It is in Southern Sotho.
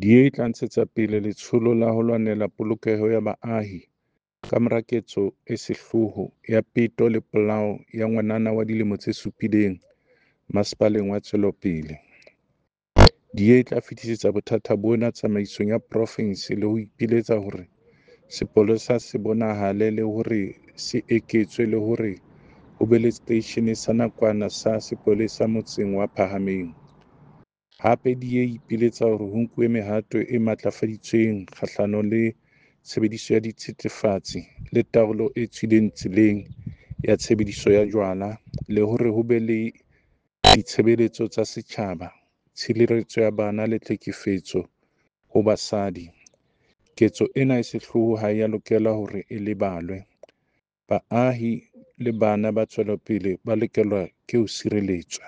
DA e tla ntshetsa pele letsholo la ho lwanela polokeho ya baahi kamora ketso e sehloho ya peto le polao ya ngwanana wa dilemo tse supileng Masepaleng wa Tswelopele. DA e tla fetisetsa bothata bona tsamaisong ya profense le ho ipiletsa hore sepolesa se bonahale le hore se eketswe le hore ho be le seteishene sa nakwana sa sepolesa motseng wa Phahameng. Hape DA e ipiletsa hore ho nkuwe mehato e matlafaditsweng kgahlano le tshebediso ya dithethefatsi le taolo e tswileng tseleng ya tshebediso ya jwala le hore ho be le ditshebeletso tsa setjhaba, tshireletso ya bana le tlhekefetso ho basadi. Ketso ena e sehloho ha e a lokela hore e lebalwe. Baahi le bana ba Tswelopele ba lokelwa ke ho sireletswa.